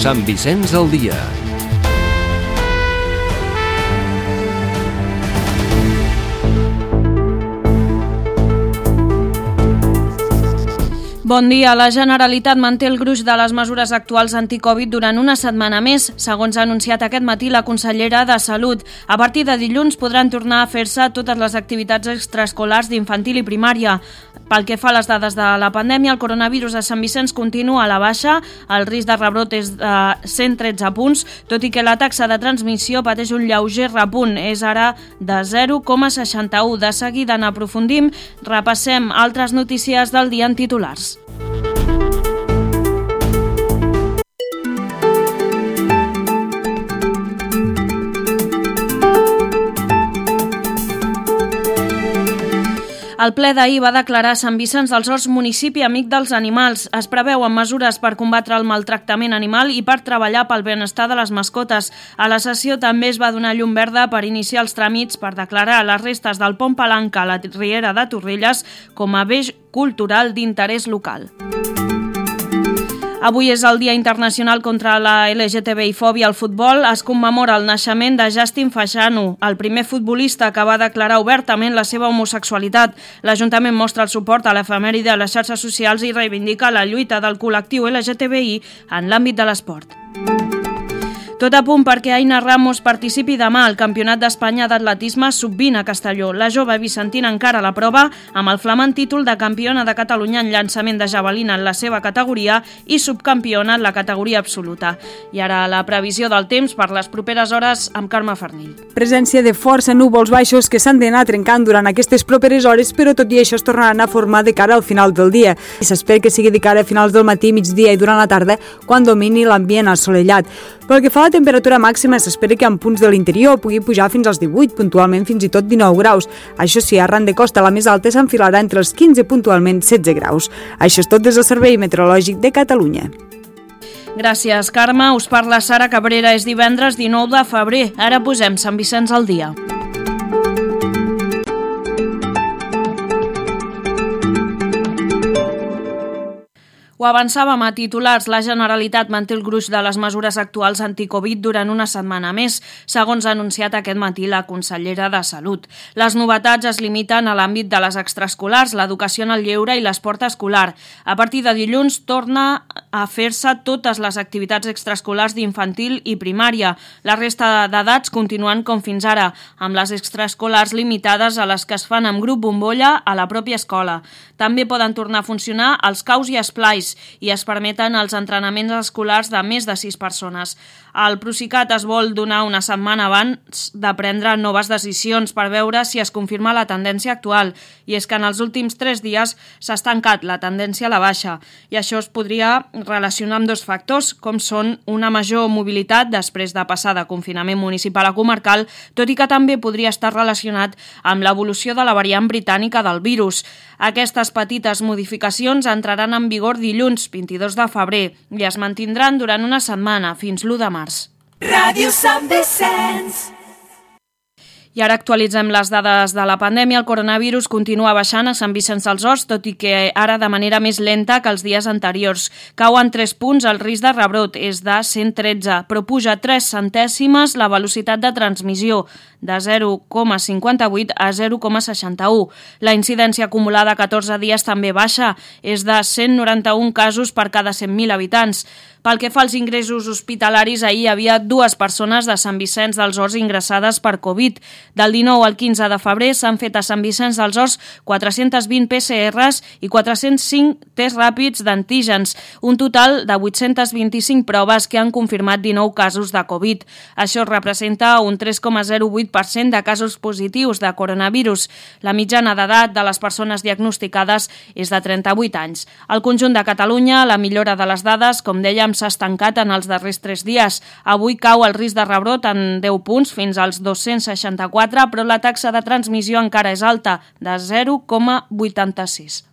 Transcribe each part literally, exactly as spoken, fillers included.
Sant Vicenç al dia. Bon dia. La Generalitat manté el gruix de les mesures actuals anticovid durant una setmana més. Segons ha anunciat aquest matí la consellera de Salut, a partir de dilluns podran tornar a fer-se totes les activitats extraescolars d'infantil i primària. Pel que fa a les dades de la pandèmia, el coronavirus a Sant Vicenç continua a la baixa. El risc de rebrot és de cent tretze punts, tot i que la taxa de transmissió pateix un lleuger repunt. És ara de zero coma seixanta-u. De seguida n'aprofundim. Repassem altres notícies del dia en titulars. El ple d'ahir va declarar Sant Vicenç dels Horts municipi amic dels animals. Es preveuen mesures per combatre el maltractament animal i per treballar pel benestar de les mascotes. A la sessió també es va donar llum verda per iniciar els tràmits per declarar les restes del pont Palanca a la Riera de Torrelles com a bé cultural d'interès local. Avui és el Dia Internacional contra la L G T B I-fòbia al futbol. Es commemora el naixement de Justin Fashanu, el primer futbolista que va declarar obertament la seva homosexualitat. L'Ajuntament mostra el suport a l'efemèride a les xarxes socials i reivindica la lluita del col·lectiu L G T B I en l'àmbit de l'esport. Tot a punt perquè Aina Ramos participi demà al Campionat d'Espanya d'Atletisme sub vint a Castelló. La jove vicentina encara la prova amb el flamant títol de campiona de Catalunya en llançament de javelina en la seva categoria i subcampiona en la categoria absoluta. I ara la previsió del temps per les properes hores amb Carme Farnill. Presència de força núvols baixos que s'han d'anar trencant durant aquestes properes hores, però tot i això es tornaran a formar de cara al final del dia. I s'espera que sigui de cara a finals del matí, migdia i durant la tarda, quan domini l'ambient assolellat. Pel que fa a la temperatura màxima, s'espera que en punts de l'interior pugui pujar fins als divuit, puntualment fins i tot dinou graus. Això sí, arran de costa la més alta s'enfilarà entre els quinze, puntualment setze graus. Això és tot des del Servei Meteorològic de Catalunya. Gràcies, Carme. Us parla Sara Cabrera. És divendres dinou de febrer. Ara posem Sant Vicenç al dia. Ho avançàvem a titulars, la Generalitat manté el gruix de les mesures actuals anticovid durant una setmana més, segons ha anunciat aquest matí la consellera de Salut. Les novetats es limiten a l'àmbit de les extraescolars, l'educació en el lleure i l'esport escolar. A partir de dilluns torna a fer-se totes les activitats extraescolars d'infantil i primària. La resta d'edats continuen com fins ara, amb les extraescolars limitades a les que es fan amb grup bombolla a la pròpia escola. També poden tornar a funcionar els caus i esplais i es permeten els entrenaments escolars de més de sis persones. El Procicat es vol donar una setmana abans de prendre noves decisions per veure si es confirma la tendència actual, i és que en els últims tres dies s'ha estancat la tendència a la baixa, i això es podria relacionar amb dos factors, com són una major mobilitat després de passar de confinament municipal a comarcal, tot i que també podria estar relacionat amb l'evolució de la variant britànica del virus. Aquestes petites modificacions entraran en vigor dilluns vint-i-dos de febrer i es mantindran durant una setmana, fins l'u de març. Ràdio Sant Vicenç. I ara actualitzem les dades de la pandèmia. El coronavirus continua baixant a Sant Vicenç dels Horts, tot i que ara de manera més lenta que els dies anteriors. Cau en tres punts el risc de rebrot, és de cent tretze, però puja tres centèsimes la velocitat de transmissió, de zero coma cinquanta-vuit a zero coma seixanta-u. La incidència acumulada a catorze dies també baixa, és de cent noranta-un casos per cada cent mil habitants. Pel que fa als ingressos hospitalaris, ahir hi havia dues persones de Sant Vicenç dels Horts ingressades per Covid. Del dinou al quinze de febrer s'han fet a Sant Vicenç dels Horts quatre-cents vint P C Rs i quatre-cents cinc tests ràpids d'antígens, un total de vuit-cents vint-i-cinc proves que han confirmat dinou casos de Covid. Això representa un tres coma zero vuit per cent de casos positius de coronavirus. La mitjana d'edat de les persones diagnosticades és de trenta-vuit anys. Al conjunt de Catalunya, la millora de les dades, com dèiem, s'ha estancat en els darrers tres dies. Avui cau el risc de rebrot en deu punts fins als dos-cents seixanta-quatre, però la taxa de transmissió encara és alta, de zero coma vuitanta-sis.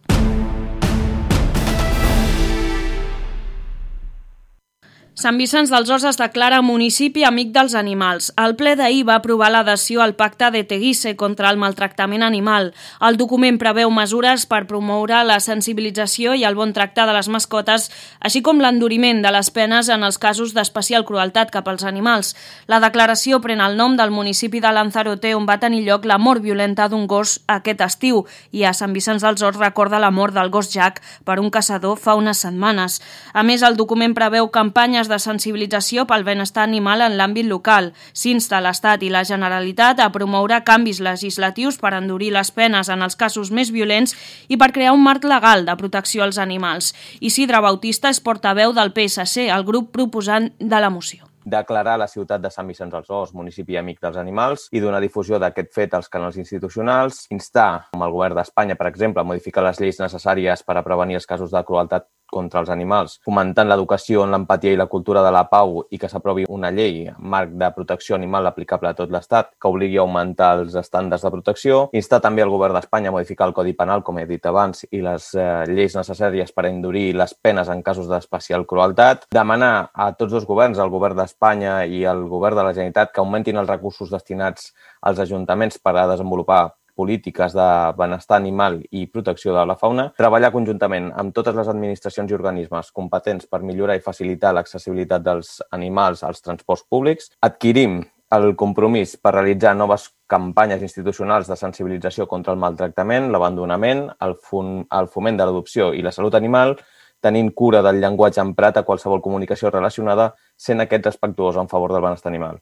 Sant Vicenç dels Horts es declara municipi amic dels animals. El ple d'ahir va aprovar l'adhesió al pacte de Teguise contra el maltractament animal. El document preveu mesures per promoure la sensibilització i el bon tracte de les mascotes, així com l'enduriment de les penes en els casos d'especial crueltat cap als animals. La declaració pren el nom del municipi de Lanzarote, on va tenir lloc la mort violenta d'un gos aquest estiu, i a Sant Vicenç dels Horts recorda la mort del gos Jack per un caçador fa unes setmanes. A més, el document preveu campanyes de sensibilització pel benestar animal en l'àmbit local. S'insta l'Estat i la Generalitat a promoure canvis legislatius per endurir les penes en els casos més violents i per crear un marc legal de protecció als animals. Isidre Bautista és portaveu del P S C, el grup proposant de la moció. Declarar la ciutat de Sant Vicenç dels Horts municipi amic dels animals i donar difusió d'aquest fet als canals institucionals, instar, com el govern d'Espanya, per exemple, a modificar les lleis necessàries per a prevenir els casos de crueltat contra els animals, fomentant l'educació en l'empatia i la cultura de la pau i que s'aprovi una llei, marc de protecció animal aplicable a tot l'Estat, que obligui a augmentar els estàndards de protecció, instar també el govern d'Espanya a modificar el Codi Penal, com he dit abans, i les eh, lleis necessàries per endurir les penes en casos d'especial crueltat, demanar a tots dos governs, el govern d'Espanya i el govern de la Generalitat, que augmentin els recursos destinats als ajuntaments per a desenvolupar polítiques de benestar animal i protecció de la fauna, treballar conjuntament amb totes les administracions i organismes competents per millorar i facilitar l'accessibilitat dels animals als transports públics, adquirim el compromís per realitzar noves campanyes institucionals de sensibilització contra el maltractament, l'abandonament, el, el foment de l'adopció i la salut animal, tenint cura del llenguatge emprat a qualsevol comunicació relacionada, sent aquest respectuós en favor del benestar animal.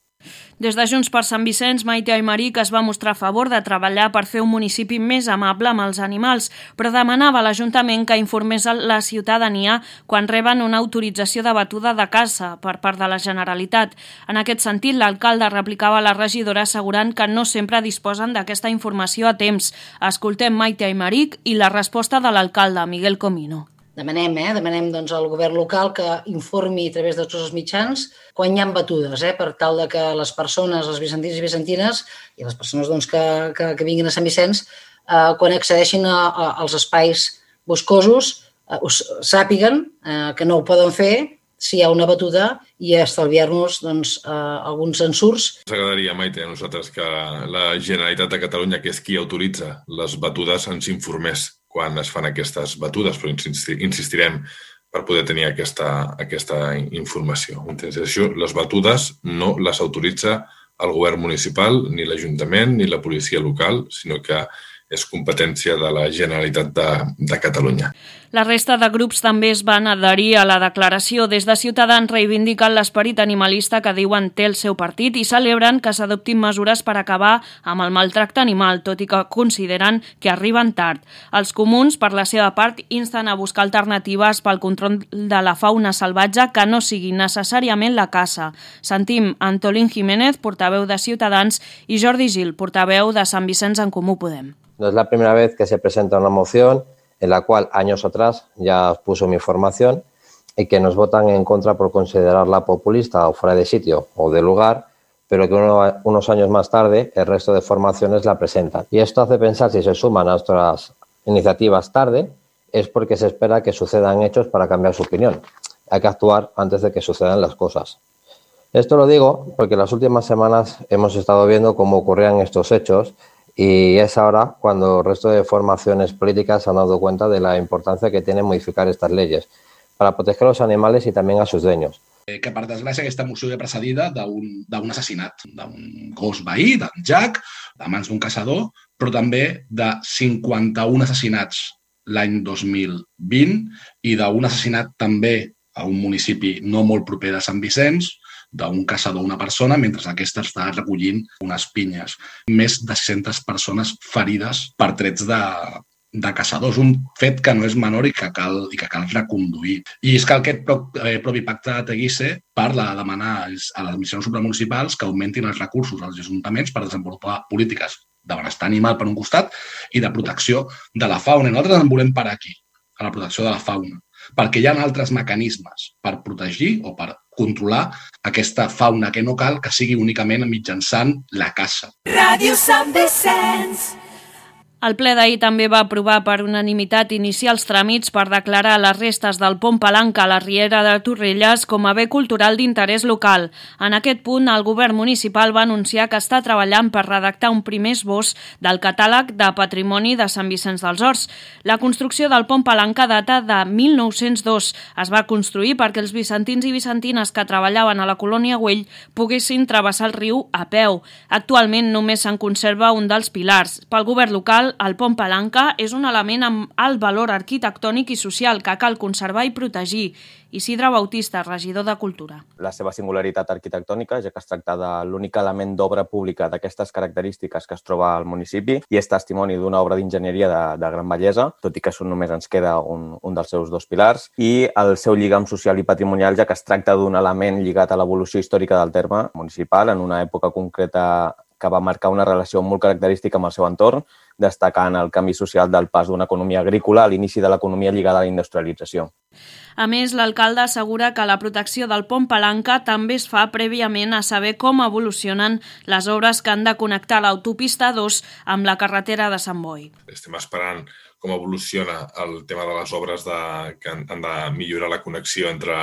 Des de Junts per Sant Vicenç, Maite Aymeric es va mostrar a favor de treballar per fer un municipi més amable amb els animals, però demanava a l'Ajuntament que informés la ciutadania quan reben una autorització de batuda de caça per part de la Generalitat. En aquest sentit, l'alcalde replicava a la regidora assegurant que no sempre disposen d'aquesta informació a temps. Escoltem Maite Aymeric i la resposta de l'alcalde, Miguel Comino. Demanem, eh? Demanem doncs, al govern local que informi a través de tots els mitjans quan hi ha batudes, eh? Per tal de que les persones, els vicentins i vicentines, i les persones doncs, que, que, que vinguin a Sant Vicenç, eh, quan accedeixin a, a, als espais boscosos, eh, us, sàpiguen eh, que no ho poden fer si hi ha una batuda i estalviar-nos doncs, eh, alguns ensurts. Ens agradaria, Maite, a nosaltres que la Generalitat de Catalunya, que és qui autoritza les batudes, ens informés quan es fan aquestes batudes, però insistirem per poder tenir aquesta, aquesta informació. Això, les batudes no les autoritza el govern municipal, ni l'Ajuntament, ni la policia local, sinó que és competència de la Generalitat de, de Catalunya. La resta de grups també es van adherir a la declaració. Des de Ciutadans reivindiquen l'esperit animalista que diuen té el seu partit i celebren que s'adoptin mesures per acabar amb el maltracte animal, tot i que consideren que arriben tard. Els comuns, per la seva part, insten a buscar alternatives pel control de la fauna salvatge que no sigui necessàriament la caça. Sentim Antolín Jiménez, portaveu de Ciutadans, i Jordi Gil, portaveu de Sant Vicenç en Comú Podem. No es la primera vez que se presenta una moción en la cual años atrás ya puso mi formación y que nos votan en contra por considerarla populista o fuera de sitio o de lugar, pero que uno, unos años más tarde el resto de formaciones la presentan. Y esto hace pensar, si se suman a nuestras iniciativas tarde, es porque se espera que sucedan hechos para cambiar su opinión. Hay que actuar antes de que sucedan las cosas. Esto lo digo porque en las últimas semanas hemos estado viendo cómo ocurrían estos hechos. Y es ahora cuando el resto de formaciones políticas se han dado cuenta de la importancia que tiene modificar estas leyes para proteger a los animales y también a sus dueños. Que per desgràcia aquesta moció ve precedida d'un assassinat, d'un gos veí, d'en Jack, de mans d'un caçador, però també de cinquanta-un assassinats l'any dos mil vint i d'un assassinat també a un municipi no molt proper de Sant Vicenç, d'un caçador, una persona, mentre aquesta està recollint unes pinyes. Més de sis-centes persones ferides per trets de, de caçadors. Un fet que no és menor i que cal, i que cal reconduir. I és que aquest propi pacte de Teguise parla de demanar a les administracions supramunicipals que augmentin els recursos als ajuntaments per desenvolupar polítiques de benestar animal per un costat i de protecció de la fauna. I nosaltres en volem parar aquí, a la protecció de la fauna, perquè hi ha altres mecanismes per protegir o per controlar aquesta fauna que no cal que sigui únicament mitjançant la caça. Ràdio Sant Vicenç. El ple d'ahir també va aprovar per unanimitat iniciar els tràmits per declarar les restes del pont Palanca a la Riera de Torrelles com a bé cultural d'interès local. En aquest punt, el govern municipal va anunciar que està treballant per redactar un primer esbós del catàleg de patrimoni de Sant Vicenç dels Horts. La construcció del pont Palanca data de mil nou-cents dos. Es va construir perquè els vicentins i vicentines que treballaven a la colònia Güell poguessin travessar el riu a peu. Actualment només se'n conserva un dels pilars. Pel govern local, el pont Palanca és un element amb alt valor arquitectònic i social que cal conservar i protegir. Isidre Bautista, regidor de Cultura. La seva singularitat arquitectònica, ja que es tracta de l'únic element d'obra pública d'aquestes característiques que es troba al municipi i és testimoni d'una obra d'enginyeria de, de gran bellesa, tot i que això només ens queda un, un dels seus dos pilars, i el seu lligam social i patrimonial, ja que es tracta d'un element lligat a l'evolució històrica del terme municipal en una època concreta que va marcar una relació molt característica amb el seu entorn, destacant el canvi social del pas d'una economia agrícola a l'inici de l'economia lligada a la industrialització. A més, l'alcalde assegura que la protecció del pont Palanca també es fa prèviament a saber com evolucionen les obres que han de connectar l'autopista dos amb la carretera de Sant Boi. Estem esperant com evoluciona el tema de les obres de, que han, han de millorar la connexió entre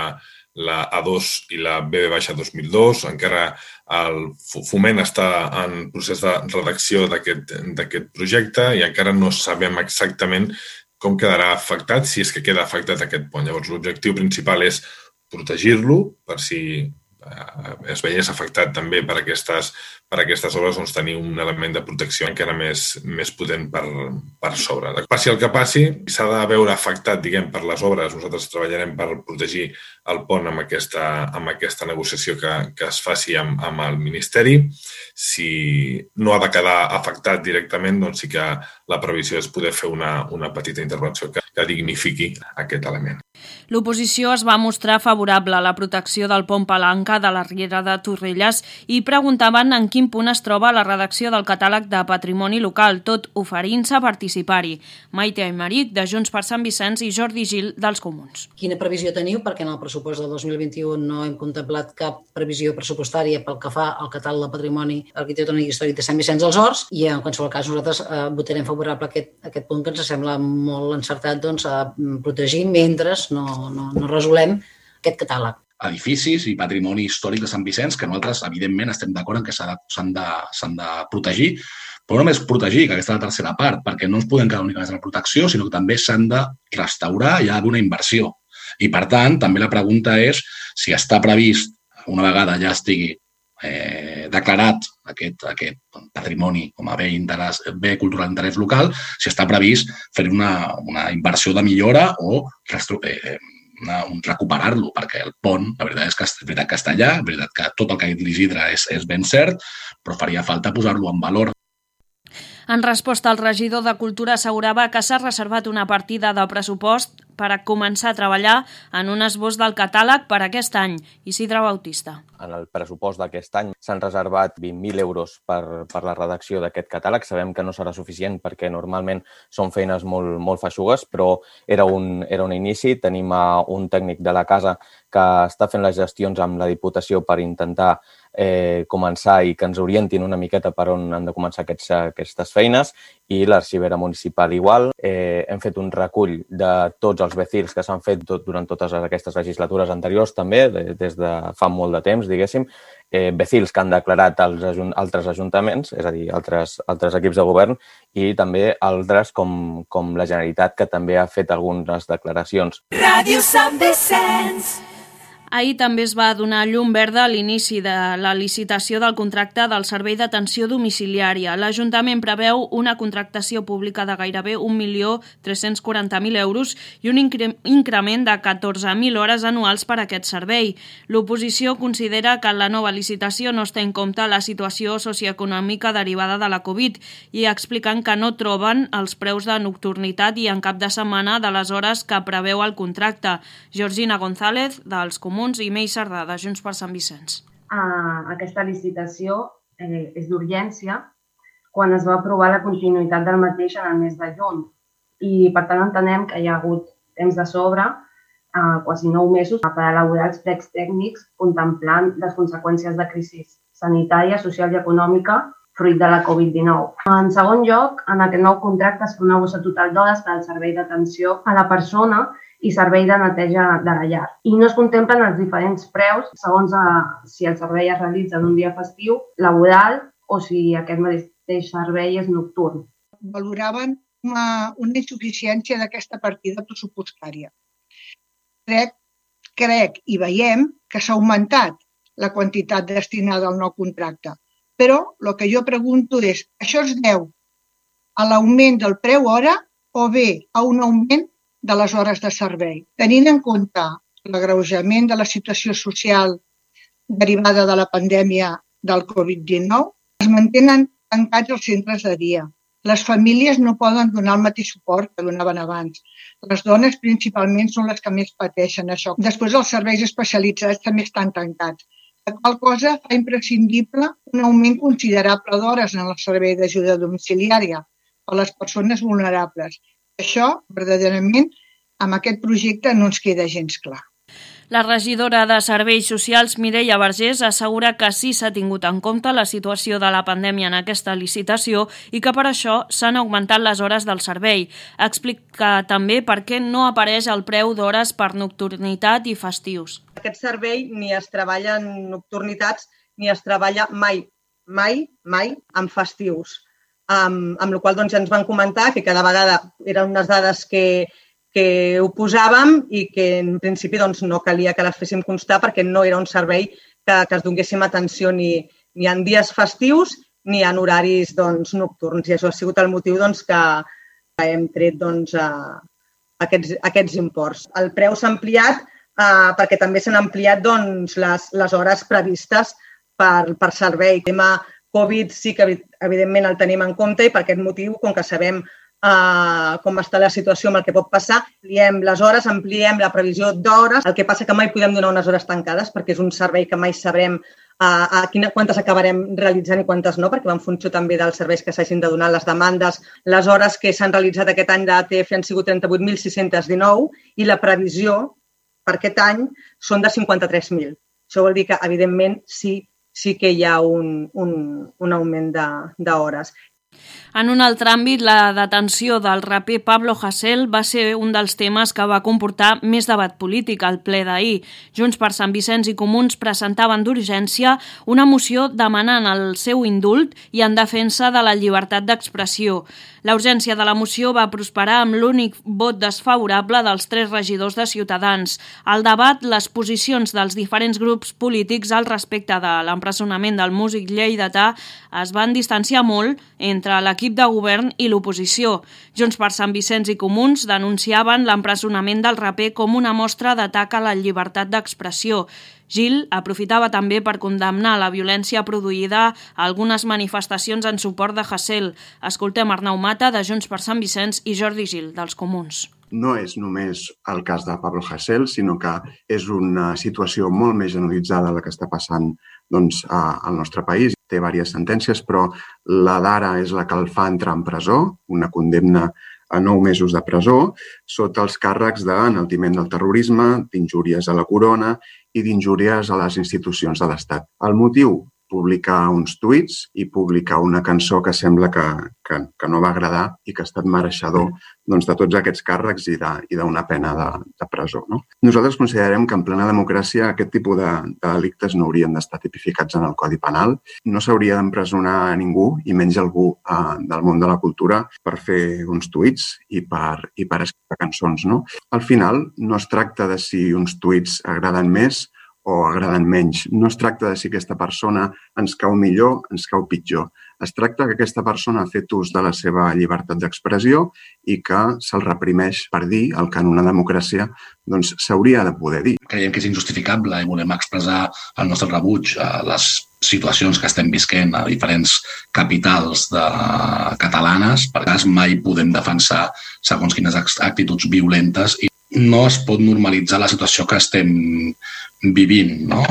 la A dos i la B B dos mil dos. Encara el Foment està en procés de redacció d'aquest projecte i encara no sabem exactament com quedarà afectat, si és que queda afectat aquest pont. Llavors, l'objectiu principal és protegir-lo per si es veiés afectat també per aquestes, per aquestes obres, doncs tenir un element de protecció encara més, més potent per, per sobre. Passi el que passi, s'ha de veure afectat, diguem, per les obres. Nosaltres treballarem per protegir el pont amb aquesta, amb aquesta negociació que, que es faci amb, amb el Ministeri. Si no ha de quedar afectat directament, doncs sí que la previsió és poder fer una, una petita intervenció que, que dignifiqui aquest element. L'oposició es va mostrar favorable a la protecció del pont Palanca de la Riera de Torrelles i preguntaven en quin punt es troba la redacció del catàleg de patrimoni local, tot oferint-se a participar-hi. Maite Aymeric, de Junts per Sant Vicenç, i Jordi Gil, dels Comuns. Quina previsió teniu? Perquè en el pressupost del dos mil vint-i-u no hem contemplat cap previsió pressupostària pel que fa al catàleg de patrimoni arquitectònic i històric de Sant Vicenç dels Horts i en qualsevol cas nosaltres eh, votarem favorable a aquest, aquest punt que ens sembla molt encertat doncs, a protegir mentre no, no, no resolem aquest catàleg. Edificis i patrimoni històric de Sant Vicenç, que nosaltres, evidentment, estem d'acord en que s'han de, s'han de protegir, però no només protegir, que aquesta és la tercera part, perquè no ens podem quedar únicament en la protecció, sinó que també s'han de restaurar i hi ha d'una inversió. I, per tant, també la pregunta és si està previst, una vegada ja estigui eh, declarat aquest, aquest patrimoni com a bé, interès, bé cultural d'interès local, si està previst fer una, una inversió de millora o eh, una, un recuperar-lo, perquè el pont, la veritat és que és veritat que està allà, la veritat que tot el que ha dit l'Isidre és, és ben cert, però faria falta posar-lo en valor. En resposta, el regidor de Cultura assegurava que s'ha reservat una partida de pressupost per a començar a treballar en un esbós del catàleg per aquest any. Isidre Bautista. En el pressupost d'aquest any s'han reservat vint mil euros per, per la redacció d'aquest catàleg. Sabem que no serà suficient perquè normalment són feines molt, molt feixugues, però era un, era un inici. Tenim un tècnic de la casa que està fent les gestions amb la Diputació per intentar eh, començar i que ens orientin una miqueta per on han de començar aquests, aquestes feines, i l'arxivera municipal igual. Eh, hem fet un recull de tots els becils que s'han fet tot, durant totes aquestes legislatures anteriors també, de, des de fa molt de temps, diguéssim, eh, becils que han declarat els ajun altres ajuntaments, és a dir, altres, altres equips de govern, i també altres com, com la Generalitat, que també ha fet algunes declaracions. Ràdio Sant Vicenç. Ahir també es va donar llum verda a l'inici de la licitació del contracte del servei d'atenció domiciliària. L'Ajuntament preveu una contractació pública de gairebé un milió tres-cents quaranta mil euros i un incre increment de catorze mil hores anuals per a aquest servei. L'oposició considera que en la nova licitació no es té en compte la situació socioeconòmica derivada de la Covid i expliquen que no troben els preus de nocturnitat i en cap de setmana de les hores que preveu el contracte. Georgina González, dels Comuns, i Mei Sardà, de Junts per Sant Vicenç. Uh, aquesta licitació eh, és d'urgència quan es va aprovar la continuïtat del mateix en el mes de juny i per tant entenem que hi ha hagut temps de sobre, uh, quasi nou mesos, per elaborar els plecs tècnics contemplant les conseqüències de crisi sanitària, social i econòmica fruit de la covid dinou. En segon lloc, en aquest nou contracte es fa una bossa total d'hores per al servei d'atenció a la persona i servei de neteja de la llar. I no es contemplen els diferents preus segons si el servei es realitza en un dia festiu, laboral o si aquest mateix servei és nocturn. Valoraven una, una insuficiència d'aquesta partida pressupostària. Crec, crec i veiem que s'ha augmentat la quantitat destinada al nou contracte. Però el que jo pregunto és, això es deu a l'augment del preu hora o bé a un augment de les hores de servei? Tenint en compte l'agreujament de la situació social derivada de la pandèmia del covid dinou, es mantenen tancats els centres de dia. Les famílies no poden donar el mateix suport que donaven abans. Les dones principalment són les que més pateixen això. Després els serveis especialitzats també estan tancats. La qual cosa fa imprescindible un augment considerable d'hores en el servei d'ajuda domiciliària per a les persones vulnerables. Això, verdaderament, amb aquest projecte no ens queda gens clar. La regidora de Serveis Socials, Mireia Vergés, assegura que sí s'ha tingut en compte la situació de la pandèmia en aquesta licitació i que per això s'han augmentat les hores del servei. Explica també per què no apareix el preu d'hores per nocturnitat i festius. Aquest servei ni es treballa en nocturnitats ni es treballa mai, mai, mai en festius. Amb, amb la qual cosa doncs, ja ens van comentar que cada vegada eren unes dades que que ho posàvem i que en principi doncs, no calia que les féssim constar perquè no era un servei que, que es donéssim atenció ni, ni en dies festius ni en horaris doncs, nocturns. I això ha sigut el motiu doncs, que, que hem tret doncs, a, aquests, aquests imports. El preu s'ha ampliat eh, perquè també s'han ampliat doncs, les, les hores previstes per, per servei. El tema Covid sí que evidentment el tenim en compte i per aquest motiu, com que sabem Uh, com està la situació amb el que pot passar, ampliem les hores, ampliem la previsió d'hores. El que passa que mai podem donar unes hores tancades perquè és un servei que mai sabrem uh, a quina, quantes acabarem realitzant i quantes no, perquè va en funció també dels serveis que s'hagin de donar, les demandes. Les hores que s'han realitzat aquest any d'A T F han sigut trenta-vuit mil sis-cents dinou i la previsió per aquest any són de cinquanta-tres mil. Això vol dir que, evidentment, sí, sí que hi ha un, un, un augment d'hores. En un altre àmbit, la detenció del raper Pablo Hasél va ser un dels temes que va comportar més debat polític al ple d'ahir. Junts per Sant Vicenç i Comuns presentaven d'urgència una moció demanant el seu indult i en defensa de la llibertat d'expressió. La urgència de la moció va prosperar amb l'únic vot desfavorable dels tres regidors de Ciutadans. Al debat, les posicions dels diferents grups polítics al respecte de l'empresonament del músic lleidatà es van distanciar molt entre l'equip de govern i l'oposició. Junts per Sant Vicenç i Comuns denunciaven l'empresonament del raper com una mostra d'atac a la llibertat d'expressió. Gil aprofitava també per condemnar la violència produïda a algunes manifestacions en suport de Hasél. Escoltem Arnau Mata, de Junts per Sant Vicenç, i Jordi Gil, dels Comuns. No és només el cas de Pablo Hasél, sinó que és una situació molt més generalitzada la que està passant doncs, al nostre país. Té diverses sentències, però la d'ara és la que el fa entrar en presó, una condemna a nou mesos de presó, sota els càrrecs d'enaltiment del terrorisme, d'injúries a la corona i d'injúries a les institucions de l'Estat. El motiu? Publicar uns tuits i publicar una cançó que sembla que, que, que no va agradar i que ha estat mereixedor doncs, de tots aquests càrrecs i d'una pena de, de presó. No? Nosaltres considerem que en plena democràcia aquest tipus de, de delictes no haurien d'estar tipificats en el Codi Penal. No s'hauria d'empresonar a ningú, i menys algú eh, del món de la cultura, per fer uns tuits i per, i per escriure cançons. No? Al final, no es tracta de si uns tuits agraden més o agraden menys. No es tracta de si aquesta persona ens cau millor, ens cau pitjor. Es tracta que aquesta persona ha fet ús de la seva llibertat d'expressió i que se'l reprimeix per dir el que en una democràcia doncs, s'hauria de poder dir. Creiem que és injustificable i volem expressar el nostre rebuig a les situacions que estem visquent a diferents capitals de catalanes. Per cas, mai podem defensar segons quines actituds violentes i no es pot normalitzar la situació que estem vivint, no?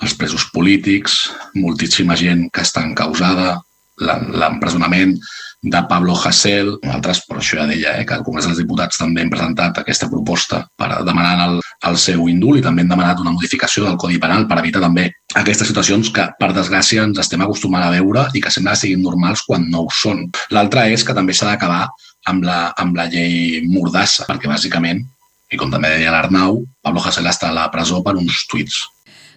Els presos polítics, moltíssima gent que està encausada, l'empresonament de Pablo Hasél, nosaltres, per això ja deia, eh, que al Congrés dels Diputats també hem presentat aquesta proposta per demanar el, el seu indult i també hem demanat una modificació del Codi Penal per evitar també aquestes situacions que, per desgràcia, ens estem acostumant a veure i que sembla que siguin normals quan no ho són. L'altre és que també s'ha d'acabar amb la, amb la llei Mordassa, perquè bàsicament, i com també deia l'Arnau, Pablo Hasél està a la presó per uns tuits.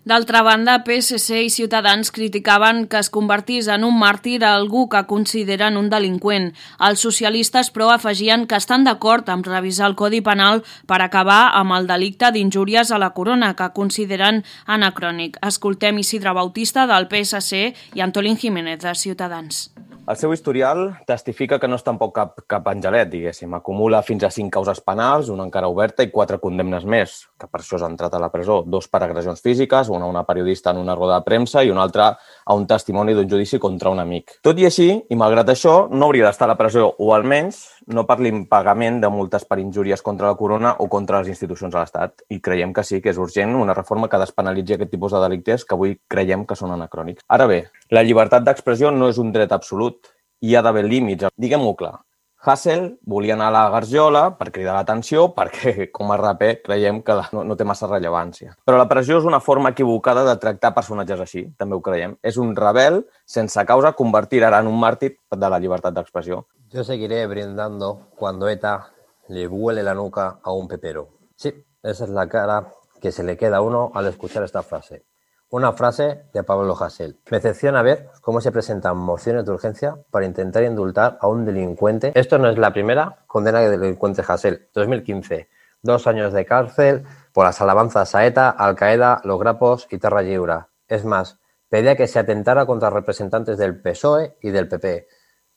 D'altra banda, P S C i Ciutadans criticaven que es convertís en un màrtir a algú que consideren un delinqüent. Els socialistes, però, afegien que estan d'acord amb revisar el Codi Penal per acabar amb el delicte d'injúries a la corona, que consideren anacrònic. Escoltem Isidre Bautista, del P S C, i Antolín Jiménez, de Ciutadans. El seu historial testifica que no és tampoc cap, cap angelet, diguéssim. Acumula fins a cinc causes penals, una encara oberta i quatre condemnes més, que per això s'ha entrat a la presó. Dos per agressions físiques, una a una periodista en una roda de premsa i una altra a un testimoni d'un judici contra un amic. Tot i així, i malgrat això, no hauria d'estar a la presó, o almenys no per l'impagament de multes per injúries contra la corona o contra les institucions de l'Estat. I creiem que sí que és urgent una reforma que despenalitzi aquest tipus de delictes que avui creiem que són anacrònics. Ara bé, la llibertat d'expressió no és un dret absolut. Hi ha d'haver límits. Diguem-ho clar. Hasél volia anar a la Garjola per cridar l'atenció perquè, com a raper, creiem que no, no té massa rellevància. Però la pressió és una forma equivocada de tractar personatges així, també ho creiem. És un rebel sense causa convertir ara en un màrtir de la llibertat d'expressió. Yo seguiré brindando cuando ETA le vuele la nuca a un pepero. Sí, esa es la cara que se le queda a uno al escuchar esta frase. Una frase de Pablo Hasél. Me decepciona ver cómo se presentan mociones de urgencia para intentar indultar a un delincuente. Esto no es la primera condena del delincuente Hasél. dos mil quince, dos años de cárcel por las alabanzas a ETA, Al-Qaeda, los grapos y Terra Lliure. Es más, pedía que se atentara contra representantes del P S O E y del P P.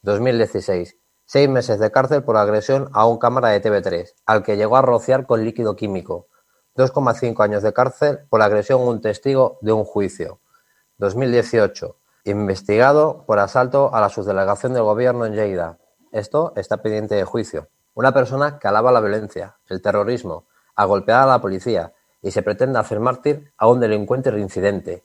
dos mil dieciséis, seis meses de cárcel por agresión a un cámara de T V tres, al que llegó a rociar con líquido químico. dos coma cinco años de cárcel por agresión a un testigo de un juicio. dos mil dieciocho, investigado por asalto a la subdelegación del gobierno en Lleida. Esto está pendiente de juicio. Una persona que alaba la violencia, el terrorismo, a golpear a la policía y se pretende hacer mártir a un delincuente reincidente.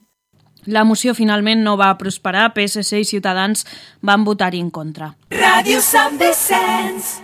La moció finalment no va prosperar. P S C i Ciutadans van votar-hi en contra. Ràdio Sant Vicenç.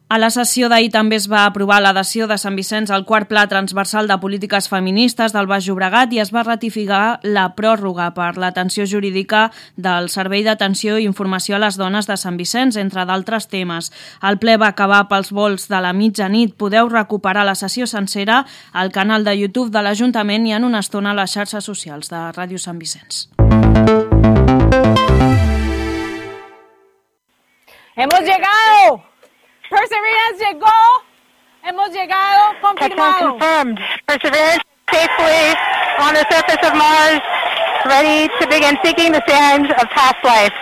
A la sessió d'ahir també es va aprovar l'adhesió de Sant Vicenç al quart pla transversal de polítiques feministes del Baix Llobregat i es va ratificar la pròrroga per l'atenció jurídica del Servei d'Atenció i Informació a les Dones de Sant Vicenç, entre d'altres temes. El ple va acabar pels volts de la mitjanit. Podeu recuperar la sessió sencera al canal de YouTube de l'Ajuntament i en una estona a les xarxes socials de Ràdio Sant Vicenç. ¡Hemos llegado! Perseverance llegó. Hemos llegado. Confirmado. Confirmed. Perseverance safely on the surface of Mars, ready to begin seeking the sands of past life.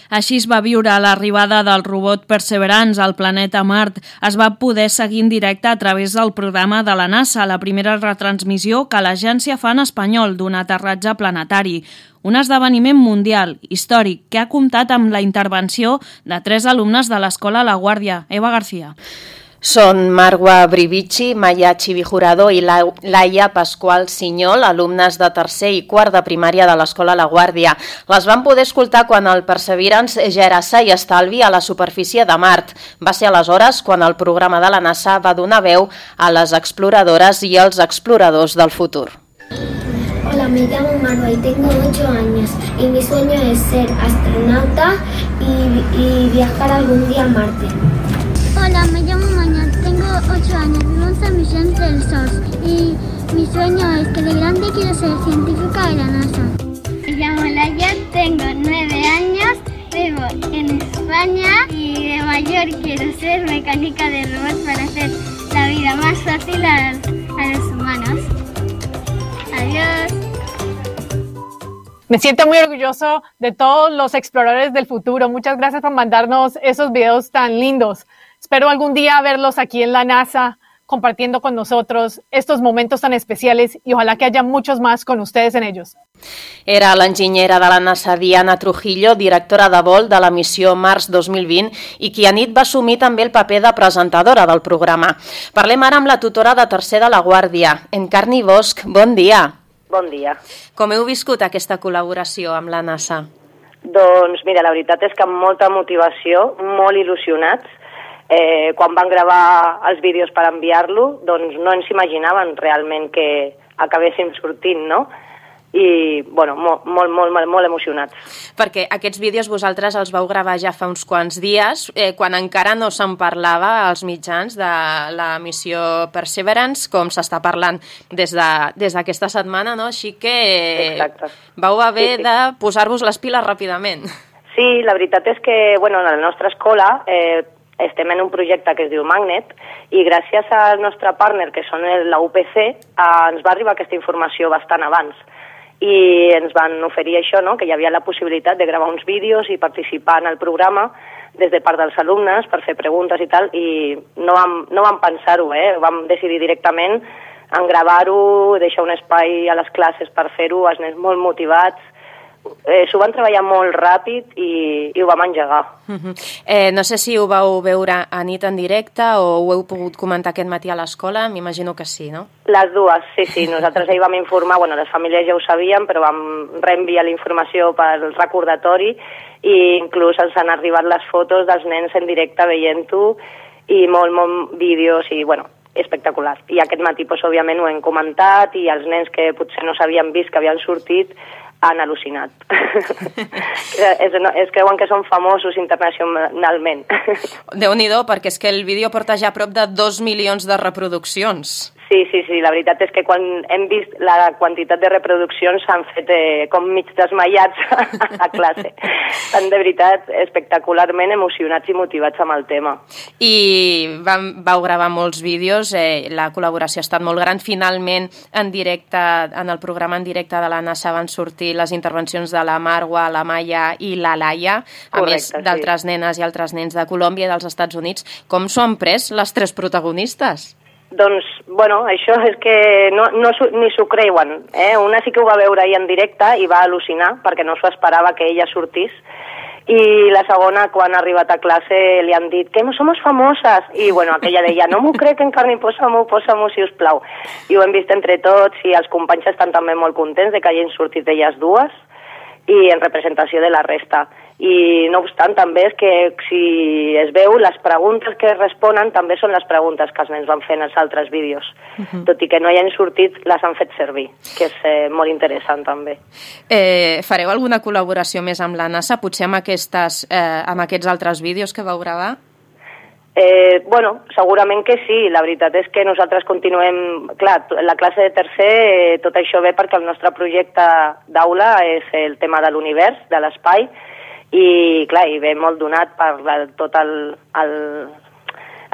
Així es va viure l'arribada del robot Perseverance al planeta Mart. Es va poder seguir en directe a través del programa de la NASA, la primera retransmissió que l'agència fa en espanyol d'un aterratge planetari. Un esdeveniment mundial, històric, que ha comptat amb la intervenció de tres alumnes de l'Escola La Guàrdia. Eva García. Són Marwa Brivici, Maya Chivijurado i Laia Pasqual Sinyol, alumnes de tercer i quart de primària de l'Escola La Guàrdia. Les van poder escoltar quan el Perseverance ja era sa i estalvi a la superfície de Mart. Va ser aleshores quan el programa de la NASA va donar veu a les exploradores i als exploradors del futur. Hola, me llamo Marwa y tengo ocho años y mi sueño es ser astronauta y, y viajar algún día a Marte. Hola, me llamo Mañana, tengo ocho años, vivo en San Vicente del Sos y mi sueño es que de grande quiero ser científica de la NASA. Me llamo Laia, tengo nueve años, vivo en España y de mayor quiero ser mecánica de robots para hacer la vida más fácil a, a los humanos. Adiós. Me siento muy orgulloso de todos los exploradores del futuro. Muchas gracias por mandarnos esos videos tan lindos. Espero algún día verlos aquí en la NASA, compartiendo con nosotros estos momentos tan especiales y ojalá que haya muchos más con ustedes en ellos. Era l'enginyera de la NASA Diana Trujillo, directora de vol de la missió Mars dos mil vint i qui a nit va assumir també el paper de presentadora del programa. Parlem ara amb la tutora de tercer de La Guàrdia, Encarni Bosch. Bon dia. Bon dia. Com heu viscut aquesta col·laboració amb la NASA? Doncs mira, la veritat és que amb molta motivació, molt il·lusionats. Eh, quan van gravar els vídeos per enviar-lo, doncs no ens imaginaven realment que acabéssim sortint, no? I, bueno, molt, molt, molt, molt emocionats. Perquè aquests vídeos vosaltres els vau gravar ja fa uns quants dies, eh, quan encara no se'n parlava als mitjans de la missió Perseverance, com s'està parlant des de, des d'aquesta setmana, no? Així que Exacte. Vau haver sí, sí. de posar-vos les piles ràpidament. Sí, la veritat és que, bueno, a la nostra escola eh, estem en un projecte que es diu Magnet i gràcies al nostre partner, que són la U P C, eh, ens va arribar aquesta informació bastant abans i ens van oferir això, no? Que hi havia la possibilitat de gravar uns vídeos i participar en el programa des de part dels alumnes per fer preguntes i tal, i no vam, no vam pensar-ho, eh? Vam decidir directament en gravar-ho, deixar un espai a les classes per fer-ho, els nens molt motivats. Eh, s'ho van treballar molt ràpid i, i ho vam engegar. Uh-huh. eh, no sé si ho vau veure a nit en directe o ho heu pogut comentar aquest matí a l'escola, m'imagino que sí, no? Les dues, sí, sí. Nosaltres ahir vam informar, bueno, les famílies ja ho sabien, però vam reenviar la informació pel recordatori i inclús ens han arribat les fotos dels nens en directe veient-ho i molt, molt vídeos i, bueno, espectacular. I aquest matí, doncs, òbviament, ho hem comentat i els nens que potser no s'havien vist que havien sortit han al·lucinat. es, no, es creuen que són famosos internacionalment. Déu-n'hi-do, perquè és que el vídeo porta ja prop de dos milions de reproduccions. Sí, sí, sí, la veritat és que quan hem vist la quantitat de reproduccions s'han fet eh, com mig desmaiats a classe. Estan de veritat espectacularment emocionats i motivats amb el tema. I vam, vau gravar molts vídeos, eh, la col·laboració ha estat molt gran. Finalment, en directe, en el programa en directe de la NASA van sortir les intervencions de la Marwa, la Maya i la Laia, a Correcte, més d'altres sí. nenes i altres nens de Colòmbia i dels Estats Units. Com s'ho han pres les tres protagonistes? Doncs, bueno, això és que no, no, ni s'ho creuen. Eh? Una sí que ho va veure ahir en directe i va al·lucinar perquè no s'ho esperava que ella sortís. I la segona, quan ha arribat a classe, li han dit que no som famoses. I, bueno, aquella deia, no m'ho crec, encara posa-m'ho, posa-m'ho, si us plau. I ho hem vist entre tots i els companys estan també molt contents de que hagin sortit elles dues i en representació de la resta. I no obstant també és que si es veu, les preguntes que responen també són les preguntes que els nens van fer en els altres vídeos. Uh-huh. Tot i que no hi han sortit, les han fet servir, que és eh, molt interessant també. Eh, fareu alguna col·laboració més amb la NASA, potser amb, aquestes, eh, amb aquests altres vídeos que vau gravar? Eh, bueno, segurament que sí. La veritat és que nosaltres continuem... Clar, la classe de tercer, eh, tot això ve perquè el nostre projecte d'aula és el tema de l'univers, de l'espai, i clar, i ve molt donat per la, tot el, el,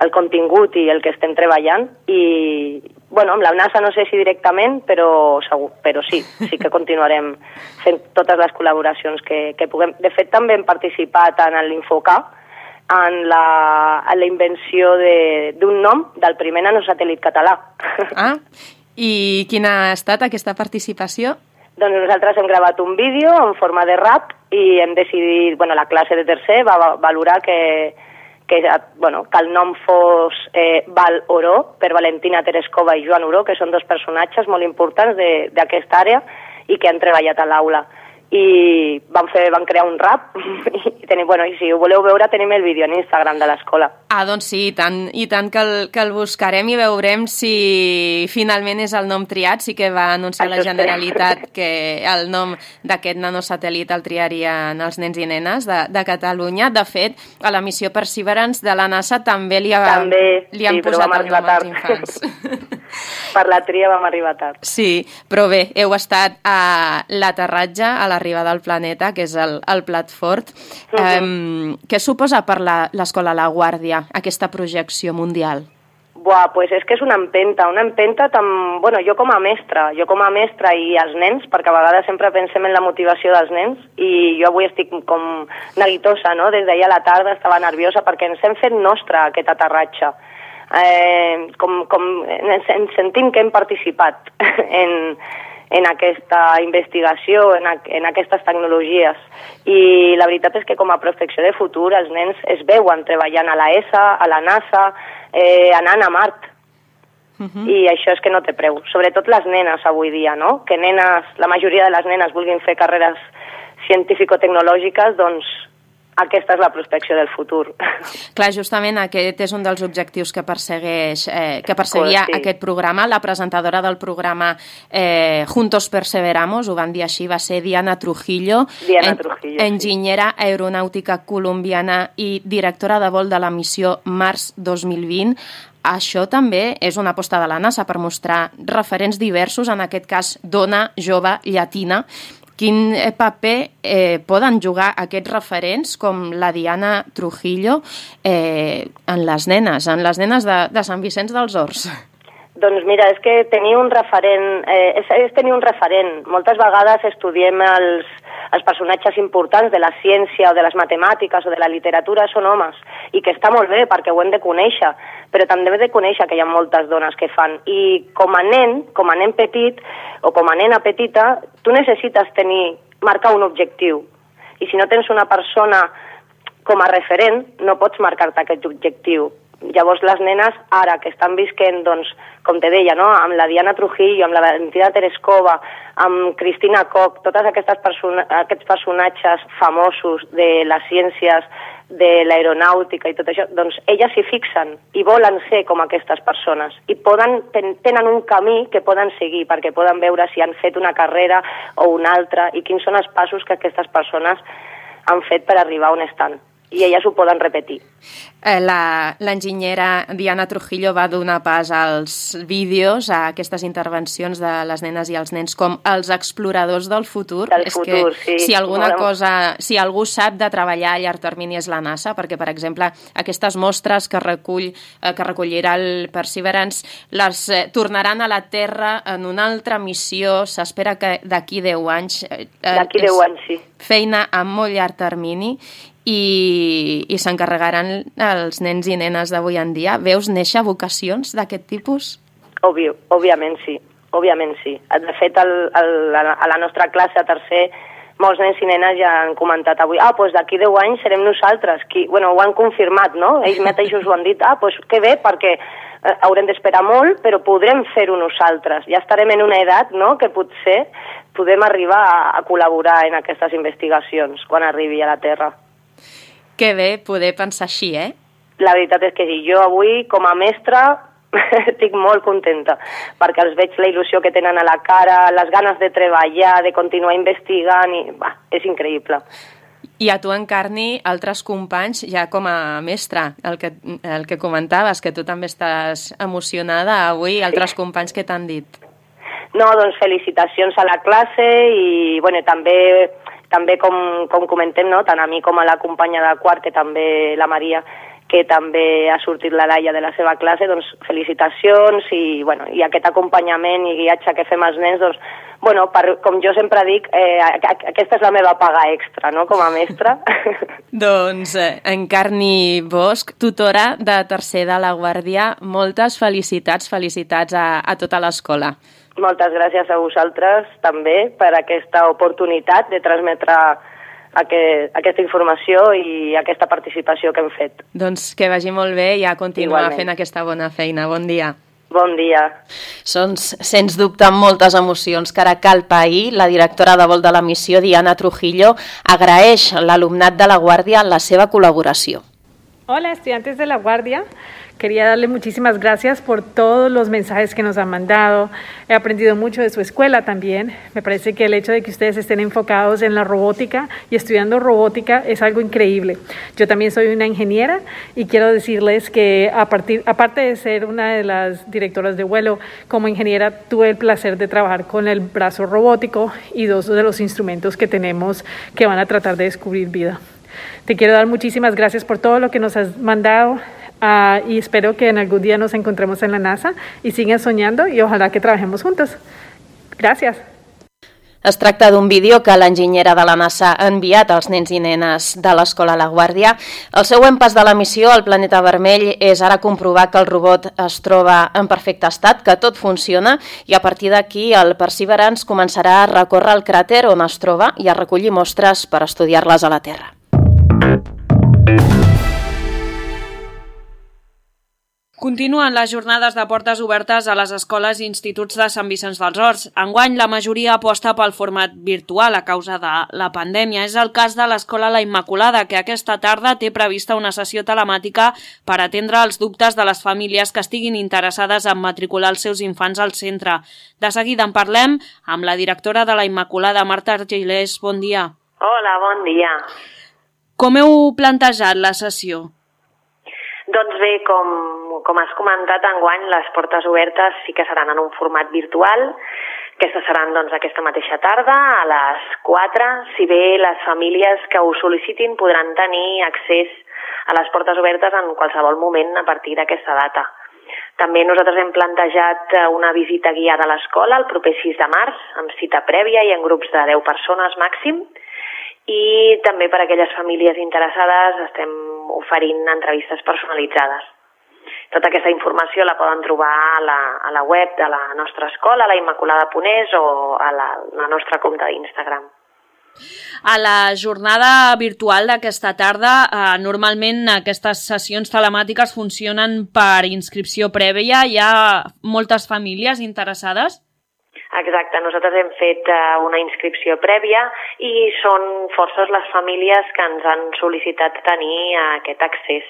el contingut i el que estem treballant i, bueno, amb la NASA no sé si directament, però, segur, però sí, sí que continuarem fent totes les col·laboracions que, que puguem. De fet, també hem participat en l'Infoca, en la, en la invenció d'un nom del primer nanosatèl·lit català. Ah, i quina ha estat aquesta participació? Doncs nosaltres hem gravat un vídeo en forma de rap i hem decidit, bueno, la classe de tercer va valorar que, que, bueno, que el nom fos eh, Val Oró, per Valentina Tereskova i Joan Oró, que són dos personatges molt importants d'aquesta àrea i que han treballat a l'aula. I van, fer, van crear un rap i, tenim, bueno, i si ho voleu veure tenim el vídeo en Instagram de l'escola. Ah, doncs sí, i tant, i tant que, el, que el buscarem i veurem si finalment és el nom triat. Sí que va anunciar Això la Generalitat que el nom d'aquest nanosatèl·lit el triarien els nens i nenes de, de Catalunya. De fet, a la missió Perseverance de la NASA també li, ha, també, li han sí, posat el nom als infants. Per la tria vam arribar tard. Sí, però bé, heu estat a l'aterratge, a l'arribada al planeta, que és el, el plat fort. Uh-huh. Um, què suposa per l'escola La Guàrdia aquesta projecció mundial? Buah, pues és que és una empenta, una empenta tan... Bueno, jo com a mestra, jo com a mestra i els nens, perquè a vegades sempre pensem en la motivació dels nens, i jo avui estic com neguitosa, no? Des d'ahir a la tarda estava nerviosa perquè ens hem fet nostre aquest aterratge. Eh, com, com ens, ens sentim que hem participat en, en aquesta investigació, en, a, en aquestes tecnologies. I la veritat és que com a prospecció de futur els nens es veuen treballant a la E S A, a la NASA, eh, anant a Mart. Uh-huh. I això és que no té preu. Sobretot les nenes avui dia, no? Que nenes, la majoria de les nenes vulguin fer carreres científico-tecnològiques, doncs aquesta és la prospecció del futur. Clar, justament aquest és un dels objectius que persegueix, eh, que perseguia sí. aquest programa. La presentadora del programa eh, Juntos Perseveramos, ho van dir així, va ser Diana Trujillo, Diana en, Trujillo enginyera sí. aeronàutica colombiana i directora de vol de la missió Mars dos mil vint. Això també és una aposta de la NASA per mostrar referents diversos, en aquest cas dona jove llatina. Quin paper eh, poden jugar aquests referents com la Diana Trujillo eh, en les nenes, en les nenes de, de Sant Vicenç dels Horts? Doncs mira, és que tenir un referent, eh, és, és tenir un referent. Moltes vegades estudiem els, els personatges importants de la ciència o de les matemàtiques o de la literatura, són homes, i que està molt bé perquè ho hem de conèixer, però també hem de conèixer que hi ha moltes dones que fan. I com a nen, com a nen petit o com a nena petita, tu necessites tenir, marcar un objectiu. I si no tens una persona com a referent, no pots marcar-te aquest objectiu. Llavors les nenes ara que estan visquent, doncs, com te deia, no? Amb la Diana Trujillo, amb la Valentina Tereskova, amb Cristina Koch, totes aquestes persona aquests personatges famosos de les ciències, de l'aeronàutica i tot això, doncs elles s'hi fixen i volen ser com aquestes persones i poden, ten, tenen un camí que poden seguir perquè poden veure si han fet una carrera o una altra i quins són els passos que aquestes persones han fet per arribar on estan. I elles ho poden repetir. Eh, L'enginyera Diana Trujillo va donar pas als vídeos, a aquestes intervencions de les nenes i els nens com els exploradors del futur. Del és futur, que, sí. Si alguna Volem... cosa, si algú sap de treballar a llarg termini és la NASA, perquè, per exemple, aquestes mostres que recull eh, que recollirà el Perseverance les eh, tornaran a la Terra en una altra missió. S'espera que d'aquí deu anys... Eh, d'aquí deu anys, sí. Feina a molt llarg termini i, i s'encarregaran els nens i nenes d'avui en dia. Veus néixer vocacions d'aquest tipus? Òbvio, òbviament sí, òbviament sí. De fet, el, el, a la nostra classe a tercer, molts nens i nenes ja han comentat avui, ah, doncs d'aquí deu anys serem nosaltres. Qui, bueno, ho han confirmat, no? Ells mateixos ho han dit, ah, doncs que bé, perquè eh, haurem d'esperar molt, però podrem fer-ho nosaltres. Ja estarem en una edat, no?, que potser podem arribar a, a col·laborar en aquestes investigacions quan arribi a la Terra. Que bé poder pensar així, eh? La veritat és que sí. Jo avui, com a mestra, estic molt contenta, perquè els veig la il·lusió que tenen a la cara, les ganes de treballar, de continuar investigant, i va, és increïble. I a tu, Encarni, altres companys, ja com a mestra, el que, el que comentaves, que tu també estàs emocionada avui, altres sí. companys que t'han dit? No, doncs felicitacions a la classe i, bueno, també... També, com, com comentem, no? Tant a mi com a la companya de quart, que també la Maria, que també ha sortit la Laia de la seva classe, doncs felicitacions i, bueno, i aquest acompanyament i guiatge que fem als nens, doncs, bueno, per, com jo sempre dic, eh, aquesta és la meva paga extra, no?, com a mestra. Doncs, eh, Encarni Bosch, tutora de tercer de la Guàrdia, moltes felicitats, felicitats a, a tota l'escola. Moltes gràcies a vosaltres també per aquesta oportunitat de transmetre aquest, aquesta informació i aquesta participació que hem fet. Doncs que vagi molt bé i a continuar Igualment. fent aquesta bona feina. Bon dia. Bon dia. Són, sens dubte, moltes emocions que ara cal pair. La directora de vol de la missió, Diana Trujillo, agraeix a l'alumnat de la Guàrdia la seva col·laboració. Hola, estudiantes de la Guardia. Quería darle muchísimas gracias por todos los mensajes que nos han mandado. He aprendido mucho de su escuela también. Me parece que el hecho de que ustedes estén enfocados en la robótica y estudiando robótica es algo increíble. Yo también soy una ingeniera y quiero decirles que a partir, aparte de ser una de las directoras de vuelo, como ingeniera tuve el placer de trabajar con el brazo robótico y dos de los instrumentos que tenemos que van a tratar de descubrir vida. Te quiero dar muchísimas gracias por todo lo que nos has mandado. Uh, y espero que en algún día nos encontremos en la NASA y sigan soñando y ojalá que trabajemos juntos. Gràcies. Es tracta d'un vídeo que l'enginyera de la NASA ha enviat als nens i nenes de l'escola La Guàrdia. El següent pas de la missió al planeta vermell és ara comprovar que el robot es troba en perfecte estat, que tot funciona, i a partir d'aquí el Perseverance començarà a recórrer el cràter on es troba i a recollir mostres per estudiar-les a la Terra. Continuen les jornades de portes obertes a les escoles i instituts de Sant Vicenç dels Horts. Enguany, la majoria aposta pel format virtual a causa de la pandèmia. És el cas de l'Escola La Immaculada, que aquesta tarda té prevista una sessió telemàtica per atendre els dubtes de les famílies que estiguin interessades en matricular els seus infants al centre. De seguida en parlem amb la directora de La Immaculada, Marta Argilés. Bon dia. Hola, bon dia. Com heu plantejat la sessió? Doncs bé, com, com has comentat, enguany les portes obertes sí que seran en un format virtual. Aquestes seran doncs, aquesta mateixa tarda, a les quatre. Si bé les famílies que ho sol·licitin podran tenir accés a les portes obertes en qualsevol moment a partir d'aquesta data. També nosaltres hem plantejat una visita guiada a l'escola el proper sis de març, amb cita prèvia i en grups de deu persones màxim. I també per a aquelles famílies interessades estem oferint entrevistes personalitzades. Tota aquesta informació la poden trobar a la, a la web de la nostra escola, la Immaculada Ponés, o a la, la nostra compte d'Instagram. A la jornada virtual d'aquesta tarda, eh, normalment aquestes sessions telemàtiques funcionen per inscripció prèvia. Hi ha moltes famílies interessades? Exacte, nosaltres hem fet una inscripció prèvia i són forces les famílies que ens han sol·licitat tenir aquest accés.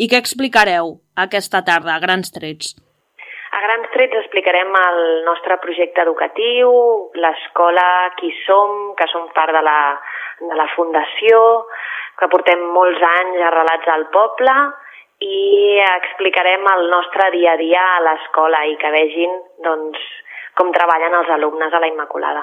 I què explicareu aquesta tarda, a grans trets? A grans trets explicarem el nostre projecte educatiu, l'escola Qui Som, que som part de la, de la fundació, que portem molts anys arrelats al poble, i explicarem el nostre dia a dia a l'escola i que vegin doncs, com treballen els alumnes a la Immaculada.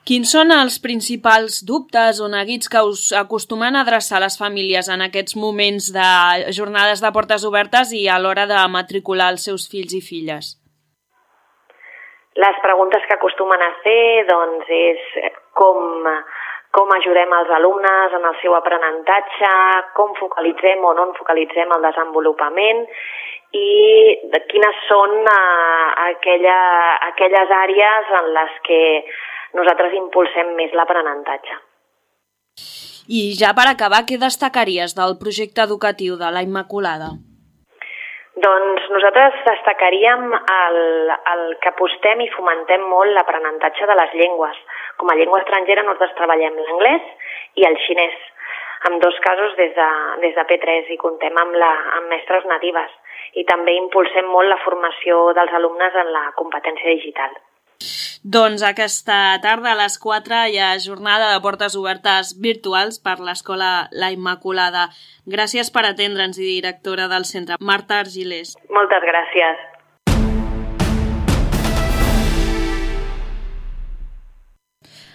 Quins són els principals dubtes o neguits que us acostumen a adreçar les famílies en aquests moments de jornades de portes obertes i a l'hora de matricular els seus fills i filles? Les preguntes que acostumen a fer doncs, és com... com ajudem els alumnes en el seu aprenentatge, com focalitzem o no en focalitzem el desenvolupament i quines són uh, aquella, aquelles àrees en les que nosaltres impulsem més l'aprenentatge. I ja per acabar, què destacaries del projecte educatiu de la Immaculada? Doncs nosaltres destacaríem el, el que apostem i fomentem molt l'aprenentatge de les llengües. Com a llengua estrangera nosaltres treballem l'anglès i el xinès, en dos casos des de, des de P tres i comptem amb, la, amb mestres natives. I també impulsem molt la formació dels alumnes en la competència digital. Doncs aquesta tarda a les quatre hi ha jornada de portes obertes virtuals per l'Escola La Immaculada. Gràcies per atendre'ns i directora del centre, Marta Argilés. Moltes gràcies.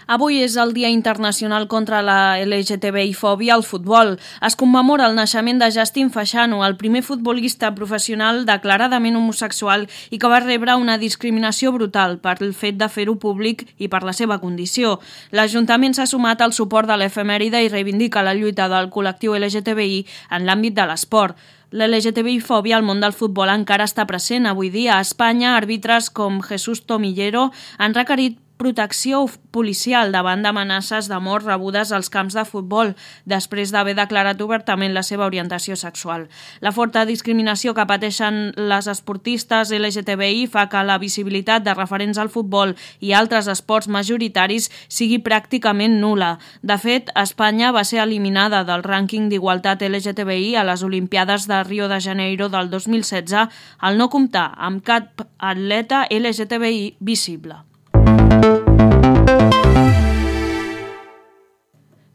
Avui és el Dia Internacional contra la L G T B I-fòbia al futbol. Es commemora el naixement de Justin Fashanu, el primer futbolista professional declaradament homosexual i que va rebre una discriminació brutal per el fet de fer-ho públic i per la seva condició. L'Ajuntament s'ha sumat al suport de l'efemèride i reivindica la lluita del col·lectiu L G T B I en l'àmbit de l'esport. L'L G T B I-fòbia al món del futbol encara està present. Avui dia a Espanya, àrbitres com Jesús Tomillero han requerit protecció policial davant d'amenaces de mort rebudes als camps de futbol després d'haver declarat obertament la seva orientació sexual. La forta discriminació que pateixen les esportistes L G T B I fa que la visibilitat de referents al futbol i altres esports majoritaris sigui pràcticament nula. De fet, Espanya va ser eliminada del rànquing d'igualtat L G T B I a les Olimpiades de Rio de Janeiro del dos mil setze al no comptar amb cap atleta L G T B I visible.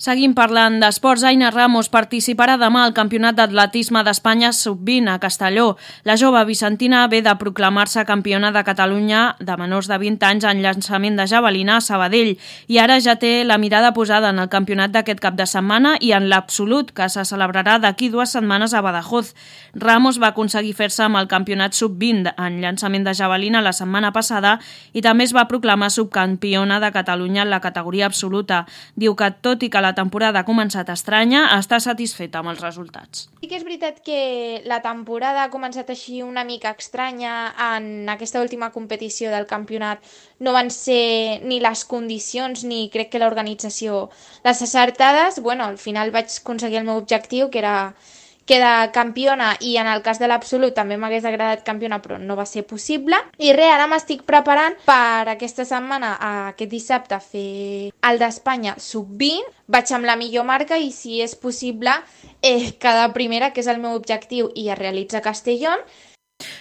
Seguim parlant d'esports. Aina Ramos participarà demà al Campionat d'Atletisme d'Espanya sub vint a Castelló. La jove vicentina ve de proclamar-se campiona de Catalunya de menors de vint anys en llançament de javelina a Sabadell i ara ja té la mirada posada en el campionat d'aquest cap de setmana i en l'absolut, que se celebrarà d'aquí dues setmanes a Badajoz. Ramos va aconseguir fer-se amb el campionat sub vint en llançament de javelina la setmana passada i també es va proclamar subcampiona de Catalunya en la categoria absoluta. Diu que, tot i que la la temporada ha començat estranya, està satisfeta amb els resultats. Sí que és veritat que la temporada ha començat així una mica estranya en aquesta última competició del campionat. No van ser ni les condicions ni crec que l'organització les acertades. Bueno, al final vaig aconseguir el meu objectiu, que era queda campiona i en el cas de l'Absolut també m'hagués agradat campiona però no va ser possible. I res, ara m'estic preparant per aquesta setmana, aquest dissabte, fer el d'Espanya sub vint. Vaig amb la millor marca i si és possible eh, quedar primera, que és el meu objectiu, i es realitza a Castellón.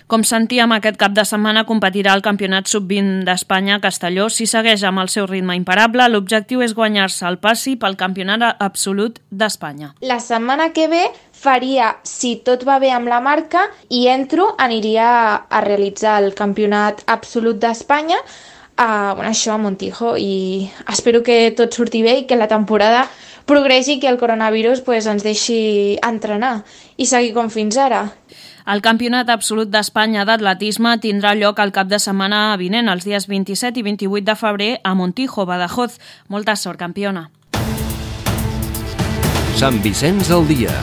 Com sentíem, aquest cap de setmana competirà el campionat sub vint d'Espanya a Castelló. Si segueix amb el seu ritme imparable, l'objectiu és guanyar-se el passi pel campionat absolut d'Espanya. La setmana que ve faria, si tot va bé amb la marca, i entro, aniria a realitzar el campionat absolut d'Espanya, a, bueno, això a Montijo, i espero que tot surti bé i que la temporada progressi i que el coronavirus pues, ens deixi entrenar i seguir com fins ara. El Campionat Absolut d'Espanya d'Atletisme tindrà lloc el cap de setmana vinent, els dies vint-i-set i vint-i-vuit de febrer, a Montijo, Badajoz. Molta sort, campiona. Sant Vicenç al dia.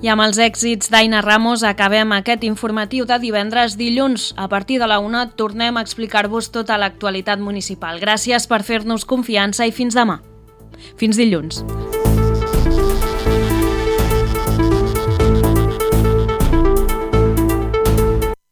I amb els èxits d'Aina Ramos acabem aquest informatiu de divendres. Dilluns, a partir de la una, tornem a explicar-vos tota l'actualitat municipal. Gràcies per fer-nos confiança i fins demà. Fins dilluns.